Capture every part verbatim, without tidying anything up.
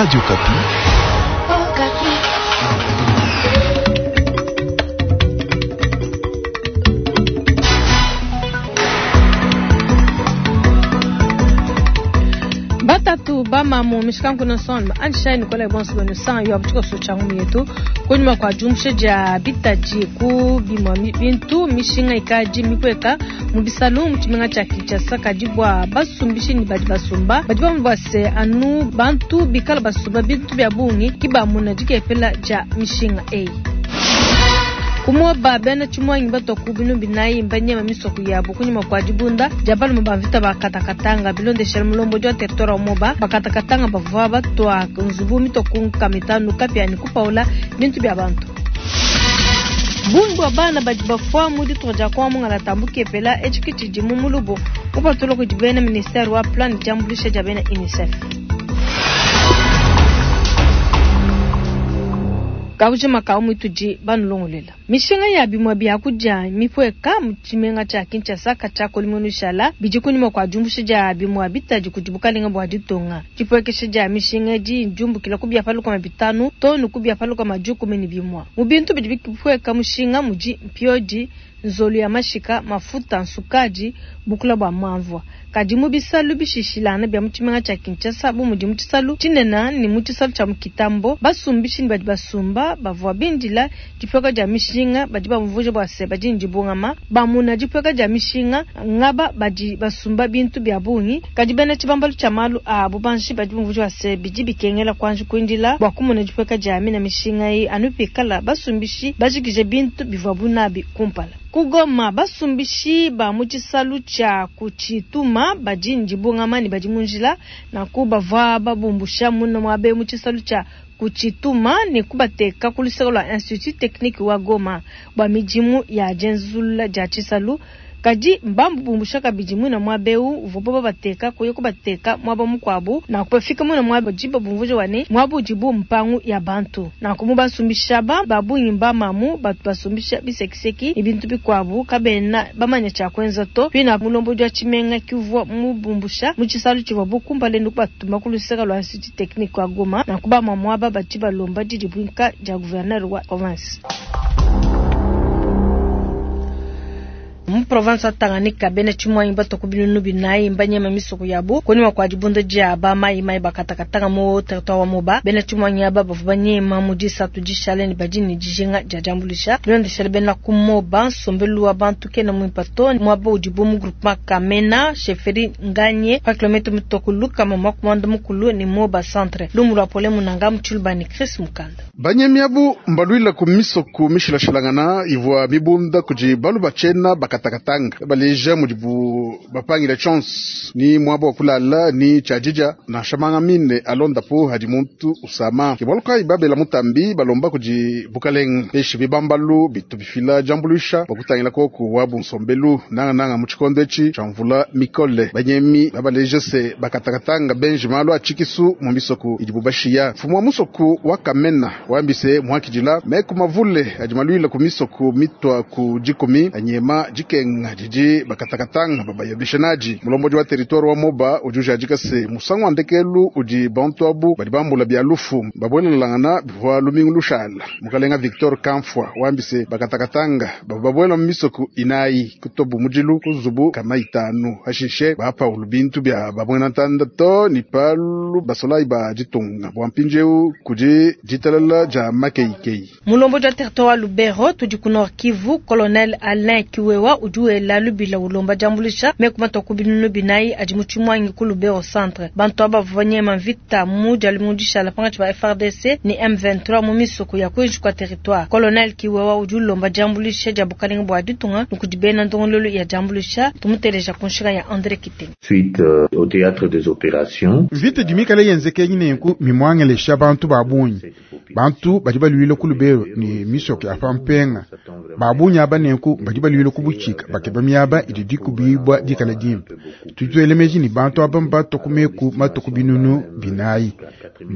Radio Okapi. Batatu bamamu mishikanku nson anshai nikola bonso banu san yo abuchiko socha yetu kunyuma kwa jumushe ja bitaji ku bimwa bintu mishinga ikaji mikweka mu bisalu mu tshimenga tshia Kinshasa kadi bua basumbishi ni badi basumba badi bamubase anu bantu bikala basumba bintu bya bungi kibamuna dikepela ja mishinga eyi. Kumoba bena chimwangi batoku binu binayi mbanyema misoko yabo kunyuma kwa dibunda jabal mabavita bakatakatanga bilondeshela mulombo jwa territoire moba bakatakatanga bavwa batwa nzubu mitoku kamitanu kapya ni kupaula bintu bya bantu. Bungu abana badi bafwa mu ditu ja kwa mungala tambuke pela echikiti jimu mulubo upatulo kujibena ministère wa plan jambulisha jabena UNICEF. Kaujima kaumu ituji banulongolela. Mishinga ya bimwa bya kuja mipweka mu tshimenga tshia Kinshasa katshia kolimonu shala bidi kunyuma kwa jumbusha ja bimwa bitaji kujibukalinga bwa ditonga. Chipwekesha ja mishinga ji jumbukila kubya paluka mabitanu tonu kubya paluka majuku meni bimwa. Mu bintu bidi bipweka mushinga muji mpyoji nzolu ya mashika mafuta nsukaji bukula bwa mamvwa kadi mu bisalu bishishilana bya mu tshimenga tshia Kinshasa bu mudi mu tshisalu tshinena ni mu tshisalu tshia mukitambo basumbishi ni badi basumba bavwa bindila dipweka dia mishinga badi bamvuja bwa se badi ndibungama bamuna dipweka dia mishinga ngaba badi basumba bintu bya bungi kadi bena tshibambalu tshia malu a bubanji badi bamvuja bwa se bidi bikengela kwanji kuindila bwa kumuna dipweka dia mina mishinga yi anupikala basumbishi bajikije bintu bivwa bunabi kumpala. Kugoma basumbishi ba mu tshisalu tshia kuchituma badi ndibungama ni badi munjila na kubavwa babumbusha muno mwabe mu tshisalu tshia kuchituma ni kubateka kuluseko lwa Institut Technique wa Goma bwa mijimu ya jenzula ja tshisalu kadi mbambu bumbusha kabidi mwina mwabeu uvobo bateka kuye kubateka mwaba mukwabu na kupafika mwina mwaba jiba bumvuje wane mwabu jibu mpangu ya bantu na kumubasumbisha ba babunyi mamu batu basumbisha bisekiseki ibintu bikwabu kabena bamanya cha kwenza to pina mulombo jwa tshimenga kivwa mubumbusha mu tshisalu tshivwa bukumba lendu kubatuma kuluseka lwa Institut Technique wa Goma na kubama mwaba batiba lomba didibwinka ja gouverneur wa province. Mu province ya Tanganyika bena chimwangi batoku binunu binayi mbanyema misoko yabo kunyuma kwa dibunda dia ba mai mai bakatakatanga mu territoire wa Moba bena chimwangi aba bavua banyema mu disatu dishale ni badi ni dijinga dia jambulisha bilondeshela bena ku Moba nsombelu wa bantu kena muipato mwaba udibu mu groupement Kamena chefferie Nganye pa kilomètre mitoku lukama mwakumanda mukulu ni Moba centre lumu lwa pole munanga mutshilubani Chris Mukanda. Banyemi abu mbalwila ku misoko mishilashilangana ivwa mibunda kudi balu bachena bakatakatanga baleja mudibu bapangila chance ni mwabo wa kulala ni chajija na shamanga mine alonda po hadi muntu usama kibaluka ibabela mutambi balomba kudi bukaleng peshi bibambalu bitu bifila jambulisha bakutangila koko wabu nsombelu nanga nanga mu tshikondo etshi tshia mvula mikole banyemi babaleja se bakatakatanga benji malu atshikisu mu misoko idibu bashiya mfumu wa musoko wa Kamena wambise muhakijila meku mavule adi malwila ku misoko mitwa ku dikumi anyema dikenga didi bakatakatanga babayabisha naji mulomboji wa territoire wa Moba udi ujadika se musangu wa ndekelu udi bantu abu badi bambula bya lufu babwelelangana bivwa lumingu lushala mukalenga Victor Kamfwa wambise bakatakatanga bababwela mu misoko inayi kutobu mujilu kuzubu kama itanu hashishe bapaulu bintu bya babwena ntanda to ni palu basolai ba ditunga bwa mpinjeu kudi ditalala ja makeikei. Mulomboji wa territoire wa Lubero tudi ku Nord Kivu Colonel Alain Kiwewa ujuela lubila ulomba jambulisha mekumata ku binunu binayi adi mu tshimwangi ku Lubero centre bantu aba bavanyema mvita mu dialimudisha la pangatshi ba F R D C ni M vingt-trois mu misoko ya kuinji kwa territoire. Colonel Kiwewa udi ulomba jambulisha dia bukalenga bua ditunga nukudi bena ndongololo ya jambulisha tumuteleja kunshika ya André Kitenge. Suite euh, au théâtre des opérations mvita dimikale yenzeke nyinenku mimwangelesha bantu ba bungi Bantu badi baluile ku Lubero ne misoko ya pampenga. Babunyi aba nenku badi baluile ku butshika bakeba miaba idi dikubibwa dikala dimpe. Tudi tuela meji ni bantu aba mbato ku meku matuku binunu binayi.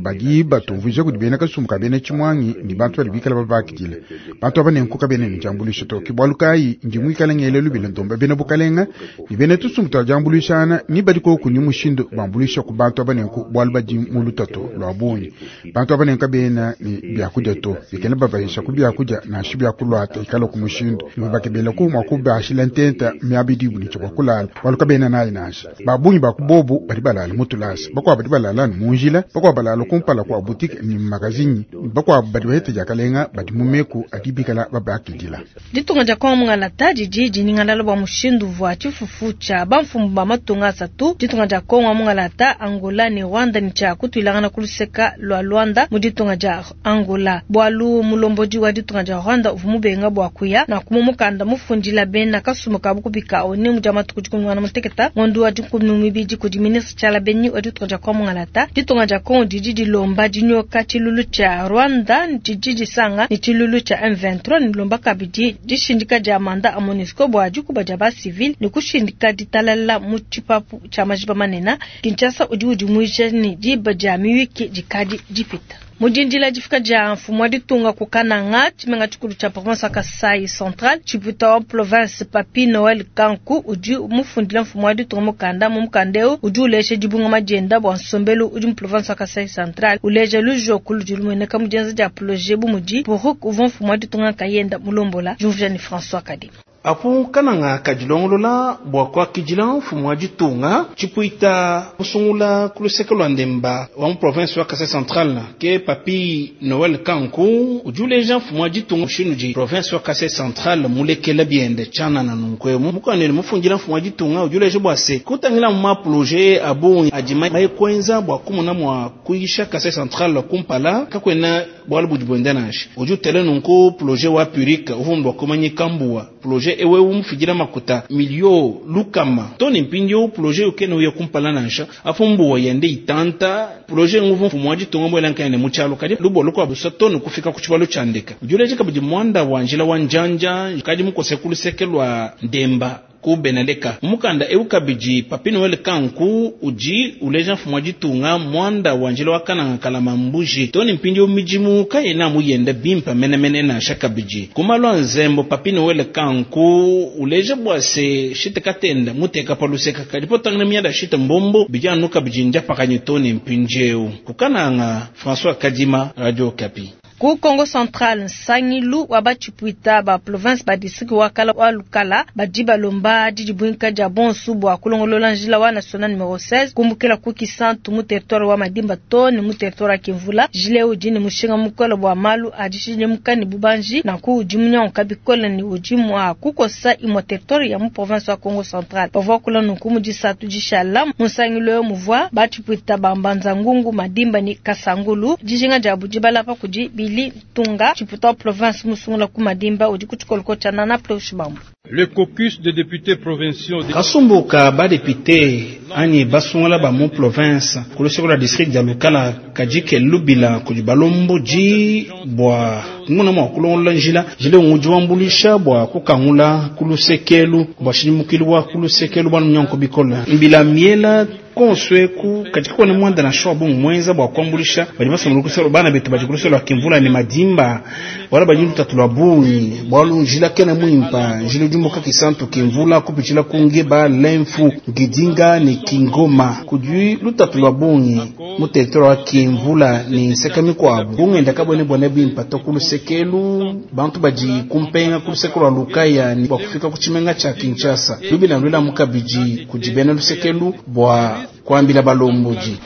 Badi batumvuija kudi bena kasumbu ka bena tshimwangi ni bantu badi bikala babakidile. Bantu aba nenku kabena ne diambuluisha to. Ke bualu kayi ndi muikale ngele lubila ndomba bena bukalenga ni bena tusumbu twa diambuluishana ni badi koku ni mushindu bambuluisha ku bantu aba nenku bualu badi mu lutatu lwa bungi. Bantu aba nenku kabena ni byakudia to. Bikena babayisha ku byakudia nansha byakulwata ikala ku mushindu. Ni bakebela ku mwa kubashila ntenta miabidi bu ni tshia kulala. Bualu kabena nayi nansha. Babungi ba kubobu badi balala mu tulasa. Bakuabu badi balala mu njila, bakuabu balala kumpala kwa boutique ni magazini. Bakuabu badi bahete diakalenga badi mu meku adi bikala babakidila. Ditunga dia Kongo mungalata didi diningalala bua mushindu vua tshifufu tshia bamfumu ba matunga asatu. Ditunga dia Kongo mungalata, Angola ne Rwanda ni tshia kutuilangana ku luseka lua Luanda mu ditunga dia Angola. Bualu mulombodi wa ditunga dia Rwanda uvua mubenga bua kuya na kumumukanda mufundila bena kasumbu kabu kubika oni mu dia matuku dikumi na muteketa ngondo wa dikumi mibidi kudi ministre Tshiala Beni wa ditunga dia Kongo mungalata. Ditunga dia Kongo didi dilomba dinyoka tshilulu tshia Rwanda didi disanga ni tshilulu tshia M vingt-trois ni lomba kabidi dishindika dia manda a MONUSCO bua dikuba dia ba civil ni kushindika ditalala mu tshipapu tshia majiba manene. Kinshasa udi udimuija ni diba dia miyuki dikadi dipita. Mudindila difika dia mfumu wa ditunga ku Kananga, tshimenga tshikulu tshia province ya Kasai Central, tshipuita wa province Papi Noel Kanku udi mufundila mfumu wa ditunga mukanda mu mukanda eu udi ulesha dibunga madienda bua nsombelu udi mu province ya Kasai Central, uleja lujoku ludi lumueneka mu dienza dia projet bu mudi Poruk uvua mfumu wa ditunga kayenda mulombola Juvia ni François Kadima. Apo Kananga kadilongolola bua kuakidila mfumu wa ditunga tshipuita kusungula ku luseke lua Ndemba wa mu province wa Kasai Central ke Papi Noel Kanku udi uleja mfumu wa ditunga mushindu di province wa Kasai Central mulekela biende tshianana nunku mukandeni mufundila mfumu wa ditunga udi uleja bua se kutangila mu maprojet abungi adi maye kuenza bua kumona mua kuyisha Kasai Central kumpala kakuena bualu budi buenda nansha udi utele nunku projet wa Puric uvua bua kumanyika mbuwa projet ewe umufidila makuta milio lukama toni mpindio projet ukene uye kumpala nansha afu mbuwa yende itanta projet nguvu mfumu wa ditunga mbwela nkene mu tshialo kadi lubolo kwa busa toni kufika ku tshibalo tshiandeka udi uleja kabidi mwanda wa njila wa njanja kadi mukose ku luseke lua Ndemba ku Beneleka mukanda eu kabidi Papi Noel Kanku udi uleja mfumu wa ditunga mwanda wa njila wa Kananga kalama mbuji toni mpindio mijimu kayena muyende bimpa menemene nansha kabidi kumalwa nzembo Papi Noel Kanku uleja bua se shite katenda muteka paluseka kadi potangana miada shite mbombo bijanu kabidi njapakanye toni mpindieu kukananga François Kadima, Radio Kapi. Ku Kongo Central, nsangilu wa batshipuita ba province ba district wa kala wa Lukala badi balomba didibwinka dia bonsu bua kulongolola njila wa national numero seize kumbukila ku Kisantu mu territoire wa Madimba to ni mu territoire wa Kimvula. Jile udi ni mushinga mukolo bua malu adishidimuka ni bubanji na ku udi munyanguka bikole ni udi mua kukosa imue territoire ya mu province wa Kongo Central. Bavua kula nunku mu disatu dishala mu nsangilu eu muvua batshipuita ba Mbanza Ngungu, Madimba ni Kasangulu. Dijinga dia budi balapa kudi Bili Tunga tshiputa wa province musungula ku Madimba udi ku tshikoloko tshia Nana Pleushibambu. Le caucus des députés provinciaux de Kasumbuka ba député anyi basungula ba mu province ku luseke lua district dia Lukala kadike lubila kudi balomboji bua kumona mua kulongolola njila jile udi wambulisha bua kukangula ku lusekelu bua shidimukilu wa ku lusekelu bua nyanko bikola mbila miela konsweku katika kone mwanda na shoa bongo mwenza bua kuambulisha badi basomela kuselo bana betu badi kuluselo kimvula ne Madimba wala badi lutatu lwa bungi bwalu njila kena mwimpa njila jumbuka Kisantu kimvula kupichila kungeba lemfu ngidinga ni kingoma kudi lutatu lwa bungi mu territoire wa kimvula ni nseka mikwabu bungenda kabone bone bimpa to kulusekelu bantu badi kumpenga kulusekelu lwa Lukaya ni bwa kufika kuchimenga cha Kinshasa lubila lwela mukabiji kujibena lusekelu bwa kwambila balomboji.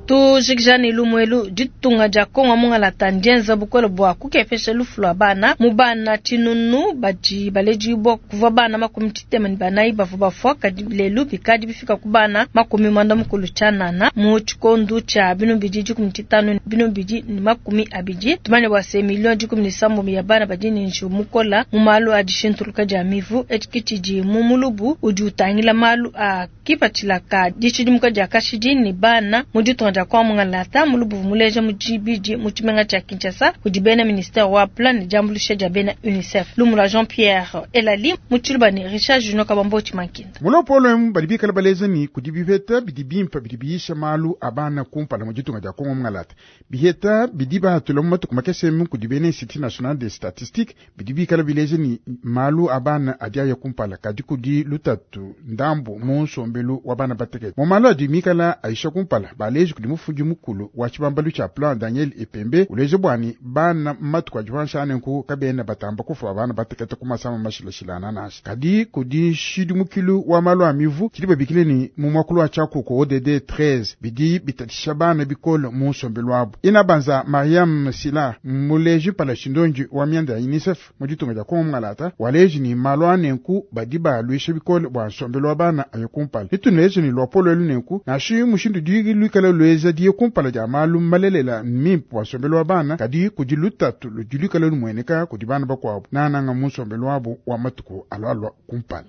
Tujikijani lumwelu ditunga dia Kongo mungalata ndienza bukole bua kukepesha lufu lua bana mu bana tshinunu badi balejibwa kuvua bana makumi tshitema ne banayi bavua bafua kadi lelu bikadi bifika ku bana makumi mwanda mukulu tshianana mu tshikondu tshia binu bidi dikumi tshitanu binu bidi ne makumi abidi. Tumanye bua se milioni dikumi ne sambo ya bana badi ne njiwu mukola mu malu a dishintuluka dia mivu etshi tshidi mu mulubu udi utangila malu a kipatshila ka dishidimuka dia kashidi ne bana mu ditunga dia Kongo mungalata mulubu muleja mu dibidi mu tshimenga tshia Kinshasa kudi bena ministère wa plan ne diambuluisha dia bena UNICEF. Lumu lua Jean-Pierre Elali mu tshiluba ne Richard Junior Kabambo Tshimankinda. Mulopolo emu badi bikala baleza ni kudi biheta bidi bimpe bidi biyisha malu a bana kumpala mu ditunga dia Kongo mungalata. Biheta bidi bahatula mu matuku makese emu kudi bena Institut National de Statistique bidi bikala bileja ni malu a bana adi aya kumpala kadi kudi lutatu ndambu mu nsombelu wa bana batekete. Mu malu adi mikala aisha kumpala baleji kudi mufundi mukulu wa tshibambalu tshia plan Daniel Epembe uleje bwani bana matuku adi panshi nku kabena batamba kufa bana batekete ku masama mashilashilana nansha. Kadi kudi nshidimukilu wa malu a mivu tshidi babikile ni mu mwakulu wa tshiakuku O D D treize bidi bitatisha bana bikole mu nsombelu wabu. Ina banza Mariam Sila muleji pala shindonji wa mianda ya UNICEF mu ditunga dia Kongo mungalata waleji ni malu anenku badi balwisha bikole bua nsombelu wa bana ayo kumpala. Nituneje ni lwapolo elu nenku nashi mushindu digi luikala lueza diye kumpala dia malu malelela mimpe bua nsombelu wa bana kadi kudi lutatu ludi luikala lumueneka kudi bana bakuabu nananga mu nsombelu wabu wa matuku alualua kumpala.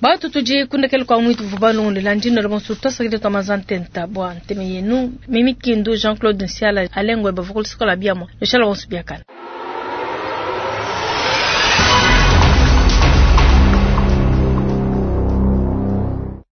Batu tudi kundekele kwa mwitu vubalungu landino bonso twasakile twa mazantenta bwa nteme yenu Mimi Kindu Jean-Claude Nsiala alengwe bavukul sikola biamo lushala bonso biakana.